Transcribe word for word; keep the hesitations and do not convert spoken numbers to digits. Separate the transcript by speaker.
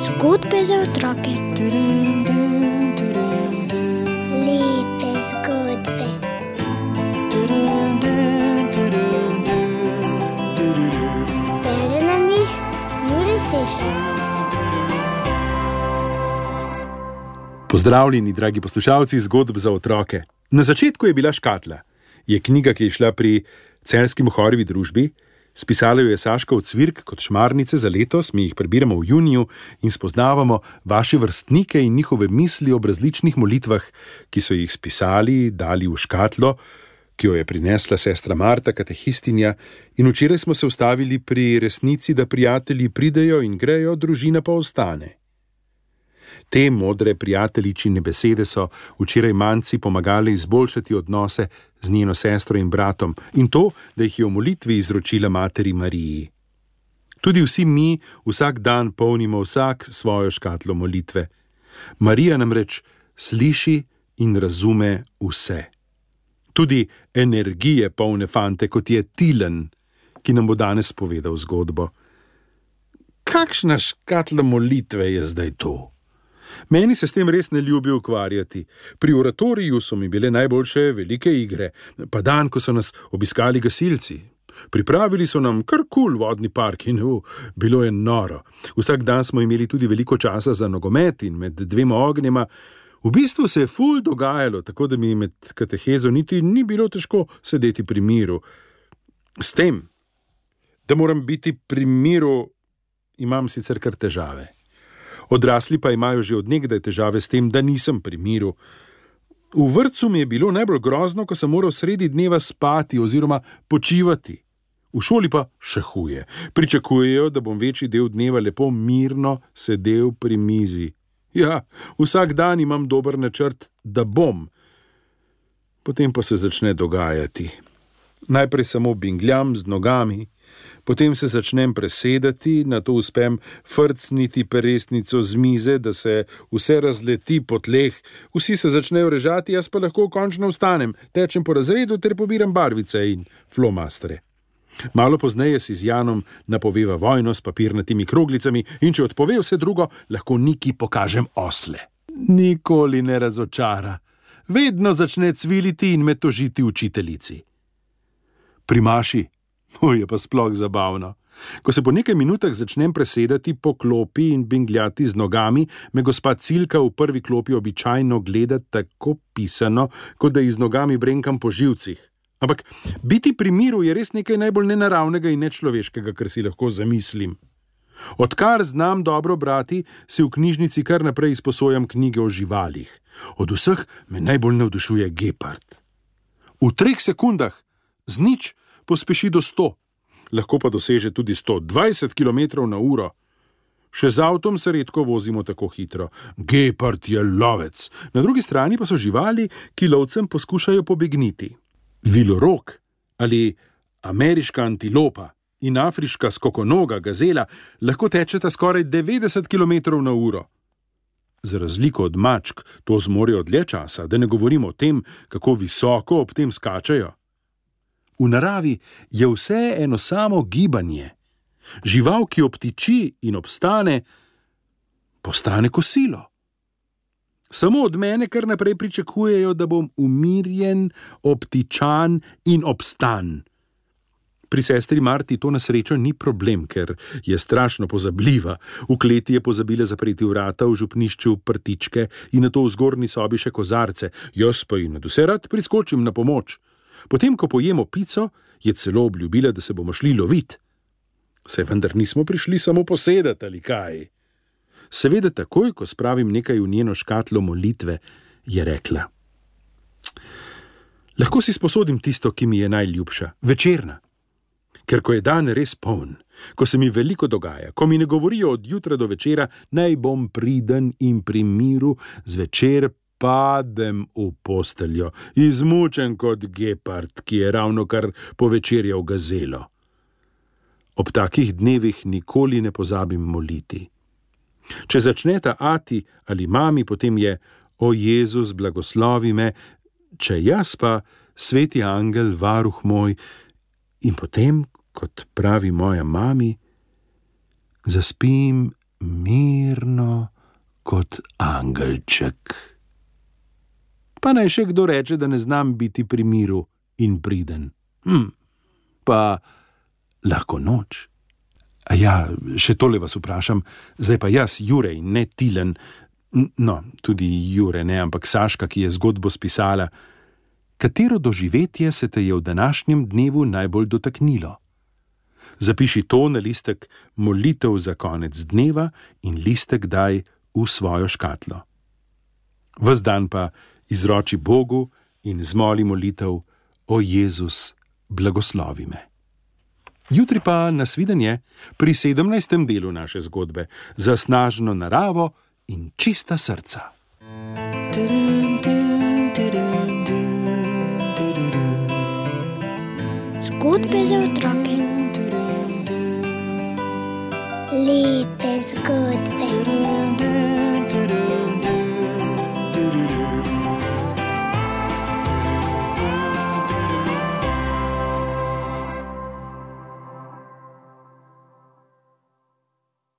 Speaker 1: Zgodbe za otroke.
Speaker 2: Lepe zgodbe. Bere nam jih Jure Sešar.
Speaker 3: Pozdravljeni, dragi poslušalci zgodb za otroke. Na začetku je bila Škatla. Je knjiga, ki je šla pri Celjski Mohorjevi družbi. Spisala jo je Saška Ocvirk kot šmarnice za letos, mi jih prebiramo v juniju in spoznavamo vaše vrstnike in njihove misli ob različnih molitvah, ki so jih spisali, dali v škatlo, ki jo je prinesla sestra Marta, katehistinja, in včeraj smo se ustavili pri resnici, da prijatelji pridejo in grejo, družina pa ostane. Te modre prijateljičine besede so včeraj Manci pomagale izboljšati odnose z njeno sestro in bratom in to, da jih je v molitvi izročila materi Mariji. Tudi vsi mi vsak dan polnimo vsak svojo škatlo molitve. Marija namreč sliši in razume vse. Tudi energije polne fante, kot je Tilen, ki nam bo danes povedal zgodbo. Kakšna škatla molitve je zdaj to? Meni se s tem res ne ljubi ukvarjati. Pri oratoriju so mi bile najboljše velike igre, pa dan, ko so nas obiskali gasilci. Pripravili so nam kar kul vodni park in uh, bilo je noro. Vsak dan smo imeli tudi veliko časa za nogomet in med dvema ognjema. V bistvu se je ful dogajalo, tako da mi med katehezo niti ni bilo težko sedeti pri miru. S tem, da moram biti pri miru, imam sicer kar težave. Odrasli pa imajo že od nekdaj težave s tem, da nisem pri miru. V vrtcu mi je bilo najbolj grozno, ko sem moral sredi dneva spati oziroma počivati. V šoli pa še huje. Pričakujejo, da bom večji del dneva lepo mirno sedel pri mizi. Ja, vsak dan imam dober načrt, da bom. Potem pa se začne dogajati. Najprej samo bingljam z nogami, potem se začnem presedati, nato uspem frcniti peresnico z mize, da se vse razleti po tleh, vsi se začnejo režati, jaz pa lahko končno vstanem, tečem po razredu ter pobiram barvice in flomastre. Malo pozneje si z Janom napoveva vojno s papirnatimi kroglicami in če odpove vse drugo, lahko Niki pokažem osle. Nikoli ne razočara. Vedno začne cviliti in me tožiti učiteljici. Pri Maši, o, je pa sploh zabavno. Ko se po nekaj minutah začnem presedati po klopi in bingljati z nogami, me gospa Cilka v prvi klopi običajno gleda tako pisano, kot da ji z nogami brenkam po živcih. Ampak biti pri miru je res nekaj najbolj nenaravnega in nečloveškega, kar si lahko zamislim. Odkar znam dobro brati, si v knjižnici kar naprej izposojam knjige o živalih. Od vseh me najbolj navdušuje gepard. V treh sekundah z nič pospeši do sto, lahko pa doseže tudi sto dvajset kilometrov na uro. Še z avtom se redko vozimo tako hitro. Gepard je lovec. Na drugi strani pa so živali, ki lovcem poskušajo pobegniti. Vilorog ali ameriška antilopa in afriška skokonoga gazela lahko tečeta skoraj devetdeset kilometrov na uro. Za razliko od mačk to zmorejo dlje časa, da ne govorimo o tem, kako visoko ob tem skačajo. V naravi je vse eno samo gibanje. Žival, ki obtiči in obstane, postane kosilo. Samo od mene kar naprej pričakujejo, da bom umirjen, obtičan in obstan. Pri sestri Marti to na srečo ni problem, ker je strašno pozabljiva. V kleti je pozabila zapreti vrata, v župnišču prtičke in nato v zgornji sobi še kozarce. Jaz pa ji nadvse rad priskočim na pomoč. Potem, ko pojemo pico, je celo obljubila, da se bomo šli lovit. Saj vendar nismo prišli samo posedati ali kaj. Seveda takoj, ko spravim nekaj v njeno škatlo molitve, je rekla. Lahko si sposodim tisto, ki mi je najljubša, večerna. Ker ko je dan res poln, ko se mi veliko dogaja, ko mi ne govorijo od jutra do večera, naj bom priden in pri miru, zvečer padem v posteljo, izmučen kot gepard, ki je ravno kar povečerjal gazelo. Ob takih dnevih nikoli ne pozabim moliti. Če začneta ati ali mami, potem je o Jezus, blagoslovi me, če jaz pa sveti angel, varuh moj, in potem, kot pravi moja mami, zaspim mirno kot angelček. Pa naj še kdo reče, da ne znam biti pri miru in priden. Hm, pa lahko noč. A ja, še tole vas vprašam, zdaj pa jaz, Jurej, ne Tilen, no, tudi Jure ne, ampak Saška, ki je zgodbo spisala. Katero doživetje se te je v današnjem dnevu najbolj dotaknilo? Zapiši to na listek molitev za konec dneva in listek daj v svojo škatlo. Ves dan pa izroči Bogu in zmoli molitev: O Jezus, blagoslovi me. Jutri pa nasvidenje pri sedemnajstem delu naše zgodbe za snažno naravo in čista srca.
Speaker 1: Zgodbe za otroke.